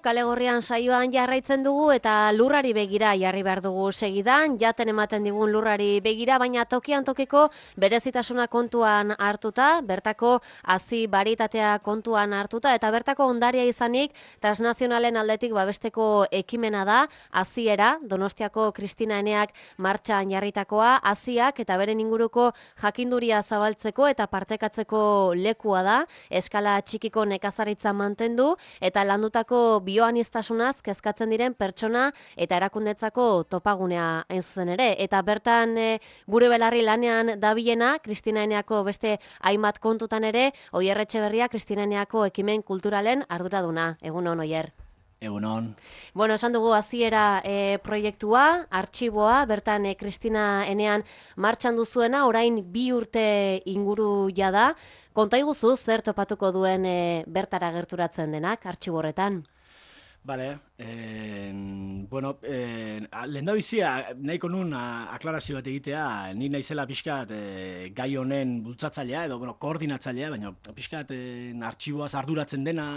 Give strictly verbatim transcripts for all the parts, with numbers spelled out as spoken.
Kale Gorrian saioan jarraitzen dugu eta lurrari begira jarri behar dugu segidan, jaten ematen digun lurrari begira, baina tokian tokiko berezitasuna kontuan hartuta, bertako hazi baritatea kontuan hartuta, eta bertako ondaria izanik transnazionalen aldetik babesteko ekimena da, haziera, Donostiako Kristina Eneak martxan jarritakoa, haziak eta beren inguruko jakinduria zabaltzeko eta partekatzeko lekua da, eskala txikiko nekazaritza mantendu, eta landutako bioanistasunaz kezkatzen diren pertsona eta erakundetzako topagunea hain zuzen ere. Eta bertan e, gure belarri lanean dabilena, Kristina Eneako beste hainbat kontutan ere, Oier Etxeberria Kristina Eneako ekimen kulturalen arduraduna. Egunon, Oier. Egunon. Bueno, esan dugu haziera e, proiektua, artxiboa, bertan e, Kristina Enean martxan duzuena, orain bi urte inguru jada. Konta iguzu zer topatuko duen e, bertara gerturatzen denak, artxibo horretan? Bale, eh, bueno, eh, lehen da bizia, nahiko nun a, aklarazio bat egitea, ni naizela pixkat eh, gai honen bultzatzailea, edo bueno, koordinatzailea, baina pixkat eh, artxiboaz arduratzen dena,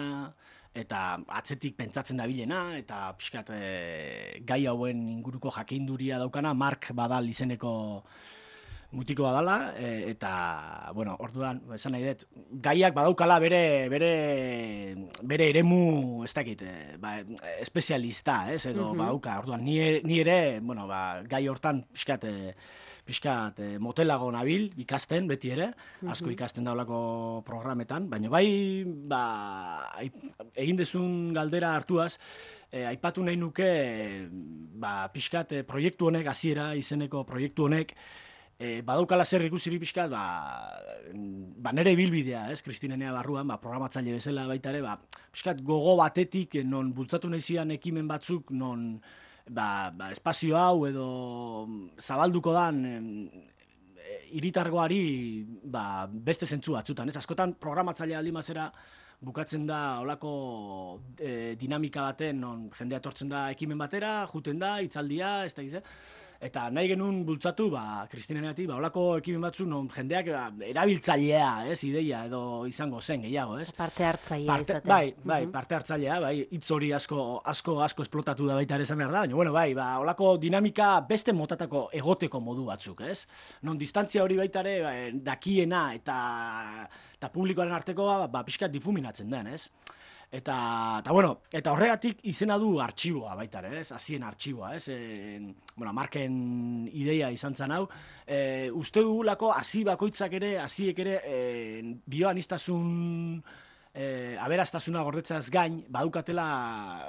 eta atzetik pentsatzen dabilena, eta pixkat e, gai hauen inguruko jakinduria daukana, Mark Badal izeneko mutiko badala, e, eta, bueno, orduan, esan nahi dut, gaiak badaukala bere, bere, bere eremu, ez dakit, e, ba, espezialista, ez, edo mm-hmm. badauka, orduan, ni, ni ere, bueno, ba, gai hortan pixkat, e, pixkat e, motelago nabil, ikasten, beti ere, asko ikasten daulako programetan, baina bai, ba, egin dezun galdera hartuaz, e, aipatu nahi nuke, ba, pixkat e, proiektu honek, hasiera izeneko proiektu honek, e, badaukala zer ikusiri pixkat, ba, ba, nere bilbidea, ez, Kristina Enea barruan, ba, programatzaile bezala baita ere, ba, pixkat gogo batetik, non bultzatu nahi zian ekimen batzuk, non, Ba, ba, espazio hau edo zabalduko dan hiritargoari ba, beste zentzu batzutan. Ez askotan programatzailea aldi mazera bukatzen da olako e, dinamika baten, non jendea etortzen da ekimen batera, juten da, hitzaldia, ez da gize. Eta nahi genuen bultzatu, ba, Kristina Eneatik, ba, olako ekimen batzu, non jendeak ba, erabiltzailea, ez, ideia, edo izango zen gehiago, ez? Parte hartzailea izaten. Bai, bai, parte hartzailea, bai, hitz hori asko, asko, asko esplotatu da baita ere esan behar da, baina, bueno, bai, ba, olako dinamika beste motatako egoteko modu batzuk, ez? Non distantzia hori baita ere, ba, dakiena eta, eta publikoaren arteko, ba, ba, pixkat difuminatzen den, ez? Eta, eta, bueno, eta horregatik izena du artxiboa baita ere, ez? Hazien artxiboa, ez? E, bueno, Marken ideia izan zen hau. E, uste dugulako hazi bakoitzak ere, haziek ere, e, bioanistasun e, aberastasuna gordetzaz gain, badukatela,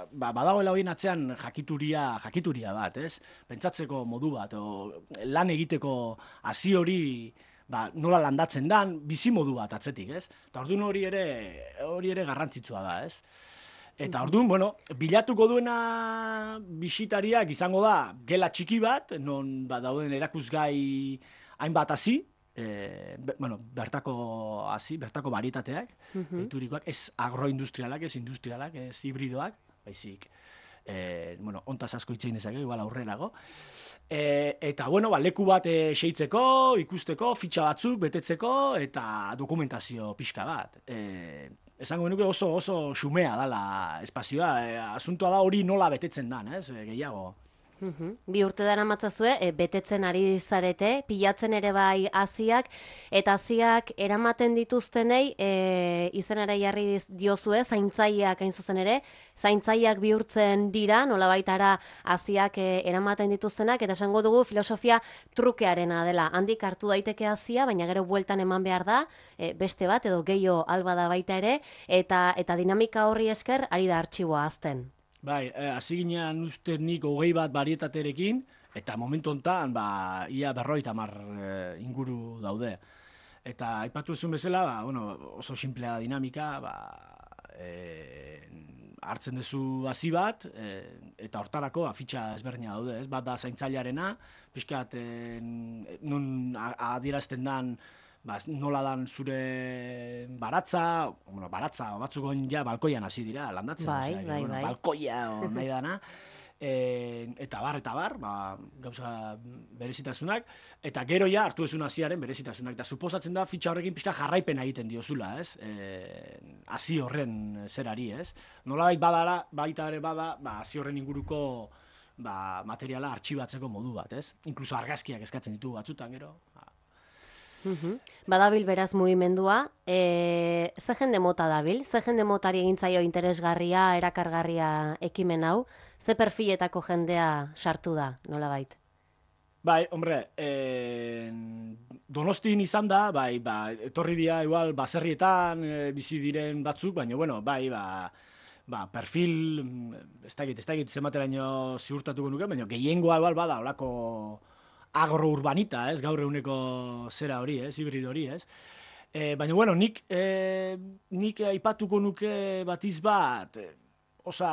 ba, badagoela horien atzean jakituria, jakituria bat, ez? Pentsatzeko modu bat, o, lan egiteko hazi hori, ba, nola landatzen dan, bizimodu bat atzetik, ez? Eta orduan hori ere, hori ere garrantzitsua da, ez? Eta orduan, bueno, bilatuko duena bisitariak izango da gela txiki bat, non ba, dauden erakusgai hainbat hazi, e, be, bueno, bertako hazi, bertako baritateak, mm-hmm. eiturikoak, ez agroindustrialak, ez industrialak, ez hibridoak, baizik, e, bueno, ontaz asko hitzein dezake, igual aurrenago. E, eta, bueno, ba, leku bat e, seitzeko, ikusteko, fitxa batzuk betetzeko, eta dokumentazio pixka bat. E, esango genuke oso, oso xumea dala espazioa, e, asuntoa da hori nola betetzen dan, ez, e, gehiago. Uhum. Bi urte dara matzazue, e, betetzen ari zarete, pilatzen ere bai haziak, eta haziak eramaten dituztenei, e, izenara jarri diozue, zaintzaileak hain zuzen ere, zaintzaileak bihurtzen dira, nola baitara haziak e, eramaten dituztenak, eta esango dugu filosofia trukearena dela. Handik hartu daiteke hazia, baina gero bueltan eman behar da, e, beste bat, edo gehiago alba da baita ere, eta, eta dinamika horri esker ari da artxiboa azten. Bai, hasi eh, ginean uste nik hogei bat barietaterekin, eta momentu honetan, ba, ia berroita mar eh, inguru daude. Eta aipatu ezun bezala, ba, bueno, oso simplea dinamika, ba, eh, hartzen duzu hasi bat, eh, eta hortarako ba, fitxa ezberdina daude, ez? Bat da zaintzailearena, pixkat eh, nun adierazten dan, ba, nola dan zure baratza, bueno, baratza, batzuk ja balkoian hasi dira, landatzen. Bai, osea, bai, bueno, bai. balkoia, o nahi dana. eta bar, eta bar, ba, gauza berezitasunak, eta gero ja hartu ezun hasiaren berezitasunak, eta suposatzen da fitxa horrekin pixka jarraipena egiten diozula, ez? Hasi horren zerari, ez? Nolabait badara, baita ere bada, ba, hasi horren inguruko ba, materiala artxibatzeko modu bat, ez? Inkluso argazkiak eskatzen ditugu batzutan, gero. Uhum. Badabil beraz mugimendua, e, ze jende mota dabil? Ze jende motari egintzaio interesgarria, erakargarria ekimen hau? Ze perfiletako jendea sartu da, nolabait? Bai, hombre, eh, Donostin izan da, bai, ba, etorri dira igual baserrietan e, bizi diren batzuk, baina, bueno, bai, ba, ba, perfil, ez dakit, ez dakit zenbateraino ziurtatuko nuke, baina gehiengoa igual bada, holako agro-urbanita, ez, gaur eguneko zera hori, ez, hibrid hori, ez. E, baina, bueno, nik, e, nik aipatuko nuke batiz bat, e, osa,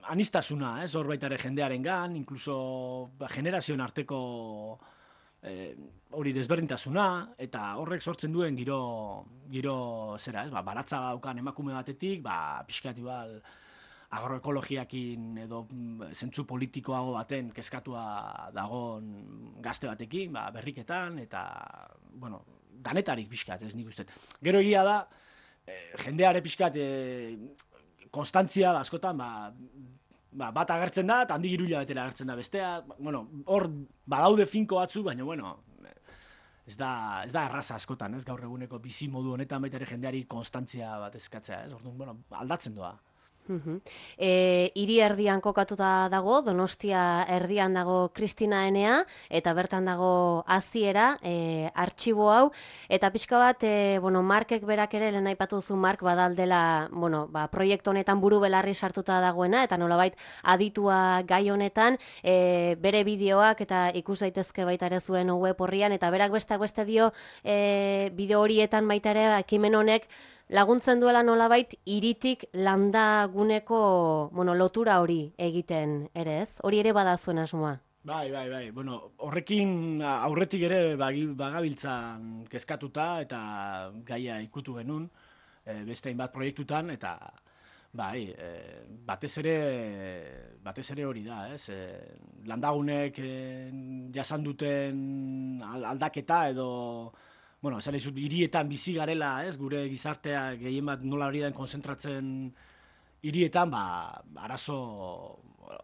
anistasuna, ez, hor baita ere jendearen gan, inkluso ba, generazioen arteko e, hori desberdintasuna, eta horrek sortzen duen giro, giro zera, ez, ba, baratza daukan emakume batetik, ba, pixkat igual, agroekologiakin edo zentzu politikoago baten kezkatua dagoen gazte batekin, ba, berriketan, eta, bueno, danetarik pixkat, ez nik uste. Gero egia da, eh, jendeare pixkat, eh, konstantzia, ba, askotan, ba, ba, bat agertzen da, eta handi giruila betera agertzen da bestea, bueno, hor badaude finko batzu, baina, bueno, ez da, ez da erraza askotan, ez, gaur eguneko bizi modu honetan baita ere jendeari konstantzia bat eskatzea, ez, orduan, bueno, aldatzen doa. E, hiri erdian kokatuta dago, Donostia erdian dago Kristina Enea, eta bertan dago Hasiera, e, artxibo hau, eta pixka bat, e, bueno, Markek berak ere, lehen aipatu duzu Mark badaldela, bueno, ba, proiektu honetan buru belarri sartuta dagoena, eta nolabait aditua gai honetan, e, bere bideoak eta ikus daitezke baita ere zuen web horrian, eta berak besteak beste dio e, bideo horietan baita ere ekimen honek laguntzen duela nolabait hiritik landaguneko, bueno, lotura hori egiten ere, ez? Hori ere bada zuen asmoa. Bai, bai, bai. Bueno, horrekin aurretik ere bagabiltzan kezkatuta eta gaia ikutu genuen e, beste hainbat proiektutan, eta bai, e, batez ere batez ere hori da, ez? E, landagunek e, jasan duten aldaketa edo bueno, esan dizut, hirietan bizi garela, ez, gure gizartea gehien bat nola hori den konzentratzen hirietan, ba, arazo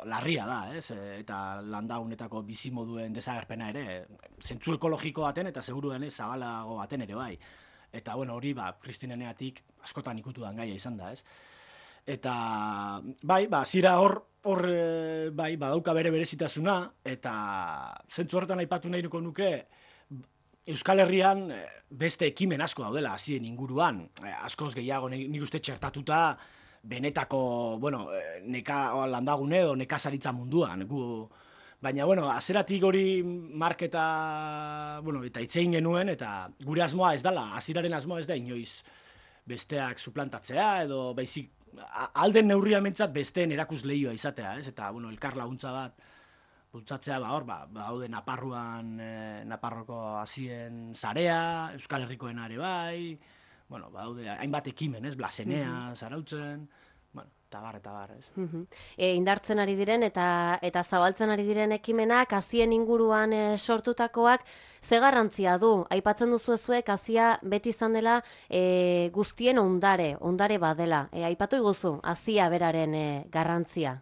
larria da, ez, eta landagunetako bizi moduen desagerpena ere, zentzu ekologiko baten eta seguruen zabalago baten ere bai. Eta, bueno, hori, ba, Kristineneatik askotan ikutudan gaia izan da, ez. Eta, bai, ba, zira hor, hor, bai, badauka bere berezitasuna, eta zentzu horretan aipatu nahi nuko nuke, Euskal Herrian beste ekimen asko daudela hasien inguruan, askoz gehiago nik uste txertatuta benetako, bueno, neka landagune edo nekazaritza munduan. Gu, baina, bueno, hasieratik hori marketa, bueno, eta itzein genuen, eta gure asmoa ez dela, hasieraren asmoa ez da inoiz besteak suplantatzea, edo baizik, alden neurria mentzat besteen erakus lehioa izatea, ez? Eta, bueno, elkar laguntza bat, bultzatzea, ba, hor, ba, haude Naparruan, eh, Naparroko hasien zarea, Euskal Herrikoena ere bai, bueno, ba, haude hainbat ekimen, ez, Blasenea, Zarautzen, bueno, eta bar, eta bar, ez. E, indartzen ari diren eta eta zabaltzen ari diren ekimenak, hazien inguruan e, sortutakoak, ze garrantzia du? Aipatzen duzu ezuek, hazia beti izan dela e, guztien ondare, ondare badela. E, aipatu iguzu, hazia beraren e, garrantzia.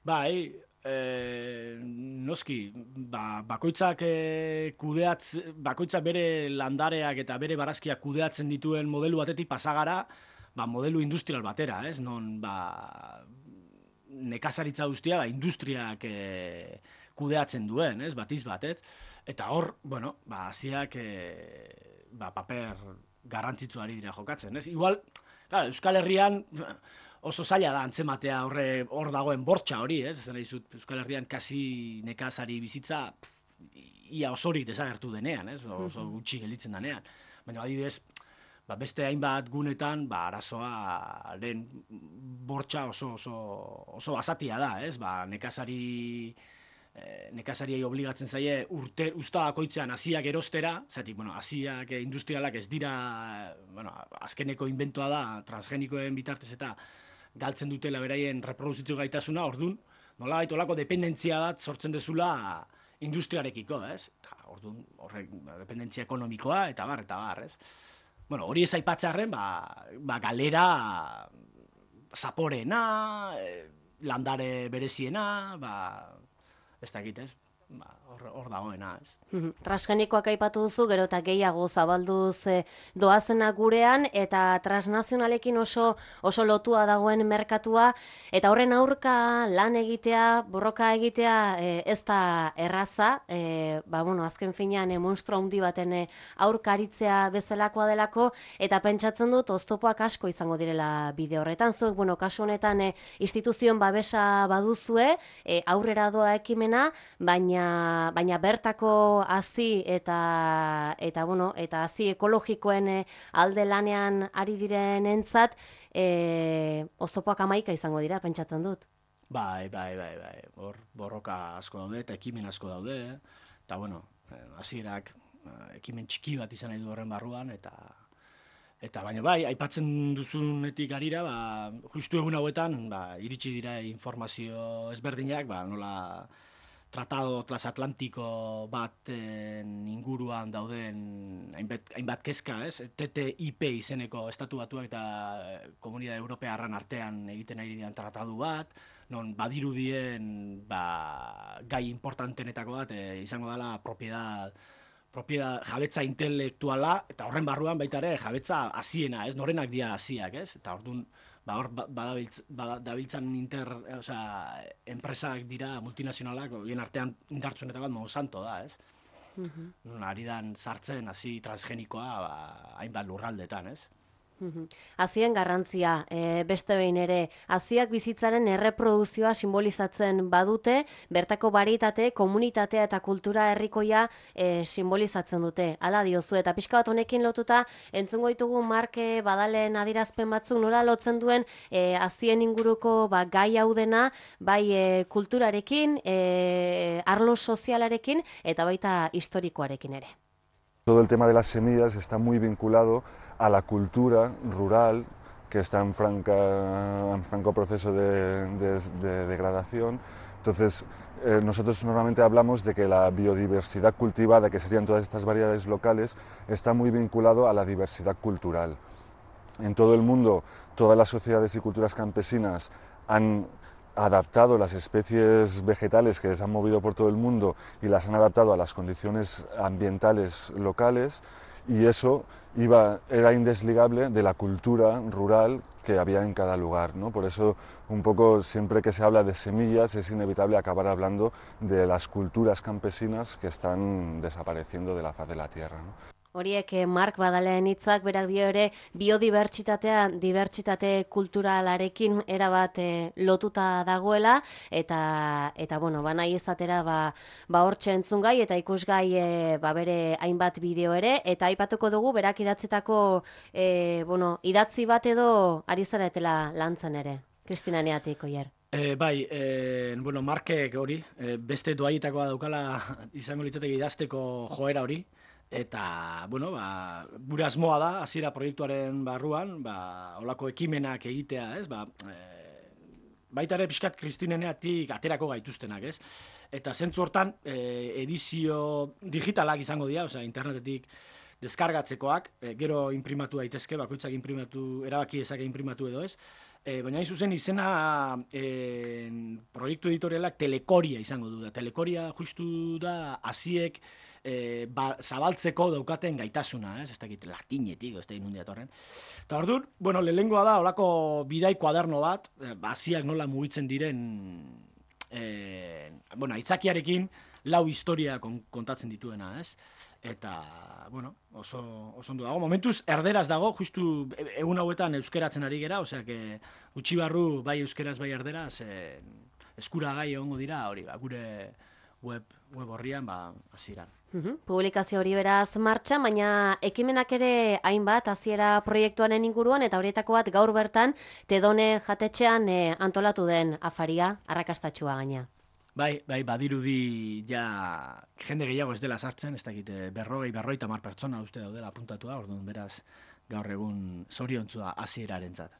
Bai, E, noski, ba, bakoitzak e, kudeatz, bakoitzak bere landareak eta bere barazkiak kudeatzen dituen modelu batetik pasagara, ba, modelu industrial batera, ez? Non, ba, nekazaritza guztia, ba, industriak e, kudeatzen duen, ez? Batiz bat, ez? Eta hor, bueno, ba, hasiak e, ba, paper garrantzitsuari dira jokatzen, ez? Igual, claro, Euskal Herrian oso zaila da antzematea horre hor dagoen bortxa hori, ez? Esan dizut, Euskal Herrian kasi nekazari bizitza ia osorik desagertu denean, ez? Oso gutxi gelditzen denean. Baina adibidez, ba, beste hainbat gunetan, ba, arazoaren bortxa oso, oso, oso basatia da, ez? Ba, nekazari nekazariei obligatzen zaie urte usta bakoitzean hasiak erostera, zaitik, bueno, hasiak industrialak ez dira, bueno, azkeneko inventoa da, transgenikoen bitartez eta galtzen dutela beraien reproduzitio gaitasuna, ordun, nolabait olako dependentzia bat sortzen dezula industriarekiko, ez? Eta orduan horrek dependentzia ekonomikoa eta bar eta bar, ez? Bueno, hori ez aipatzearren, ba, ba galera zaporena, eh, landare bereziena, ba, ez dakit, ez? Ba, hor, hor dagoena, ez? Transgenikoak aipatu duzu, gero eta gehiago zabalduz e, doazena gurean, eta transnazionalekin oso, oso lotua dagoen merkatua, eta horren aurka lan egitea, borroka egitea e, ez da erraza, e, ba, bueno, azken finean e, monstru handi baten e, aurka aritzea bezalakoa delako, eta pentsatzen dut oztopoak asko izango direla bide horretan. Zuek, bueno, kasu honetan e, instituzioen babesa baduzue, e, aurrera doa ekimena, baina, baina bertako hazi eta eta bueno, eta hazi ekologikoen e, alde lanean ari direnentzat e, oztopoak hamaika izango dira, pentsatzen dut. Bai, bai, bai, bai. Hor borroka asko daude eta ekimen asko daude, eta bueno, hasierak ekimen txiki bat izan nahi du horren barruan, eta eta baina bai, aipatzen duzunetik arira, ba, justu egun hauetan, ba, iritsi dira informazio ezberdinak, ba, nola tratado transatlantiko baten inguruan dauden hainbat, hainbat kezka, ez? T T I P izeneko estatu batuak eta Komunidade Europearran artean egiten ari diren tratadu bat, non badirudien ba, gai importantenetako bat e, izango dela propiedad, propiedad, jabetza intelektuala, eta horren barruan baita ere jabetza haziena, ez? Norenak dira haziak, ez? Eta orduan ba, hor badabiltz, badabiltzan inter, osea, enpresak dira multinazionalak, bien artean indartsuenetako bat Monsanto da, ez? Mm-hmm. Ari dan sartzen hasi transgenikoa ba, hainbat lurraldetan, ez? Hazien garrantzia, e, beste behin ere, haziak bizitzaren erreproduzioa simbolizatzen badute, bertako baritate, komunitatea eta kultura herrikoia e, simbolizatzen dute. Hala diozu, eta pixka bat honekin lotuta, entzungo ditugu Marke Badalen adirazpen batzuk nola lotzen duen e, hazien inguruko ba, gai hau dena, bai e, kulturarekin, e, arlo sozialarekin, eta baita historikoarekin ere. Todo el tema de las semillas está muy vinculado a la cultura rural que está en, franca, en franco proceso de, de, de degradación. Entonces, eh, nosotros normalmente hablamos de que la biodiversidad cultivada, que serían todas estas variedades locales, está muy vinculado a la diversidad cultural. En todo el mundo, todas las sociedades y culturas campesinas han adaptado las especies vegetales que les han movido por todo el mundo y las han adaptado a las condiciones ambientales locales, y eso iba, era indesligable de la cultura rural que había en cada lugar, ¿no? Por eso, un poco, siempre que se habla de semillas, es inevitable acabar hablando de las culturas campesinas que están desapareciendo de la faz de la tierra, ¿no? Horiek Mark Badalen hitzak, berak dio ere biodibertsitatea, dibertsitate kulturalarekin erabat e, lotuta dagoela, eta eta bueno, ba nahi izatera ba ba hortxe entzungai eta ikusgai e, ba bere hainbat bideo ere, eta aipatuko dugu berak idatzitako e, bueno, idatzi bat edo ari zaretela lantzen ere. Kristina Neatik, oier. E, bai, e, bueno, Markek hori, e, beste doaietakoa daukala izango litzateke idazteko joera hori, eta, bueno, ba, gure asmoa da, hasiera proiektuaren barruan, ba, olako ekimenak egitea, ez, ba, e, baita ere pixkat Kristineneatik aterako gaituztenak, ez, eta zentzu hortan e, edizio digitalak izango dira, osea, internetetik deskargatzekoak, e, gero imprimatu daitezke, bakoitzak imprimatu, erabaki ezake imprimatu edo ez, e, baina hain zuzen izena e, proiektu editorialak Telekoria izango du da, Telekoria justu da hasiek E, ba, zabaltzeko daukaten gaitasuna, ez, ez dakit latinetik, ez dakit nundia torren. Eta orduan, bueno, lehengoa da, olako bidai kuaderno bat, hasiak nola mugitzen diren, e, bueno, aitzakiarekin lau historia kontatzen dituena, ez? Eta, bueno, oso, oso ondo dago. Momentuz, erderaz dago, justu egun hauetan euskeratzen ari gera, osea, que utzi barru bai euskeraz bai erderaz, e, eskuragai egongo dira, hori, ba, gure web, web horrian, ba, hasieran. Uhum. Publikazio hori beraz martxan, baina ekimenak ere hainbat hasiera proiektuaren inguruan, eta horietako bat gaur bertan Tedone jatetxean e, antolatu den afaria, arrakastatxua gaina. Bai, bai, badirudi ja jende gehiago ez dela sartzen, ez dakit berrogei, berrogeita hamar pertsona uste daudela apuntatua, orduan beraz gaur egun zoriontzua hasierarentzat.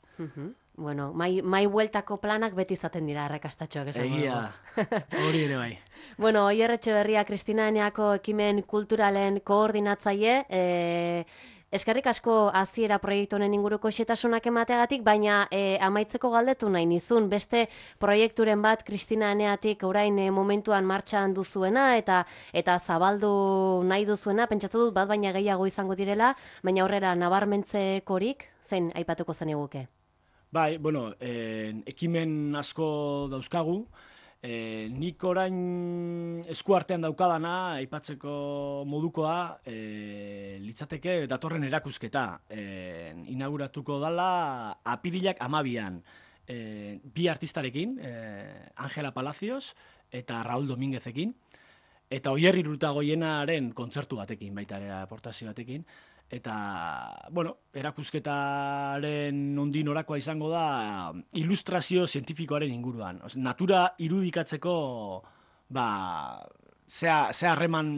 Bueno, mai, mai bueltako planak beti izaten dira arrakastatxoak esango dugu. Egia, hori ere bai. Bueno, Oier Etxeberria Kristina Eneako ekimen kulturalen koordinatzaile, e, eskerrik asko hasiera proiektu honen inguruko xetasunak emateagatik, baina e, amaitzeko galdetu nahi nizun, beste proiekturen bat Kristina Eneatik orain e, momentuan martxan duzuena eta eta zabaldu nahi duzuena, pentsatu dut bat baina gehiago izango direla, baina aurrera nabarmentzekorik, zein aipatuko zeniguke? Bai, bueno, eh, ekimen asko dauzkagu, eh, nik orain eskuartean daukadana, aipatzeko modukoa, eh, litzateke datorren erakusketa. Eh, inauguratuko dala apirilak amabian, eh, bi artistarekin, eh, Angela Palacios eta Raúl Domínguezekin, eta Oier Iruretagoienaren kontzertu batekin, baita ere aportazio batekin. Eta, bueno, erakusketaren nondik norakoa izango da ilustrazio zientifikoaren inguruan. Oze, natura irudikatzeko, ba, zea, zea harreman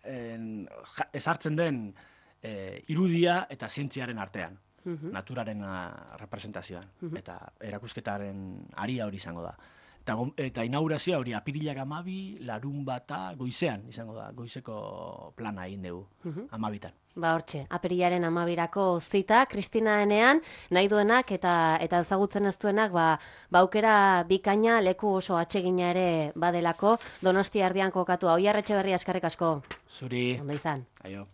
en, ja, ezartzen den e, irudia eta zientziaren artean. Uh-huh. Naturaren a, representazioan. Uh-huh. Eta erakusketaren aria hori izango da. Eta, eta inaugurazioa hori apirilak amabi, larun bata, goizean izango da. Goizeko plana egin dugu, uh-huh. amabitan. Ba hortxe, apirilaren amabirako zita, Kristina Enean, nahi duenak eta eta ezagutzen ez duenak, ba, ba aukera bikaina leku oso atsegina ere badelako, Donostia erdian kokatua. Oier Etxeberria eskerrik asko. Zuri. Ondo izan. Aio.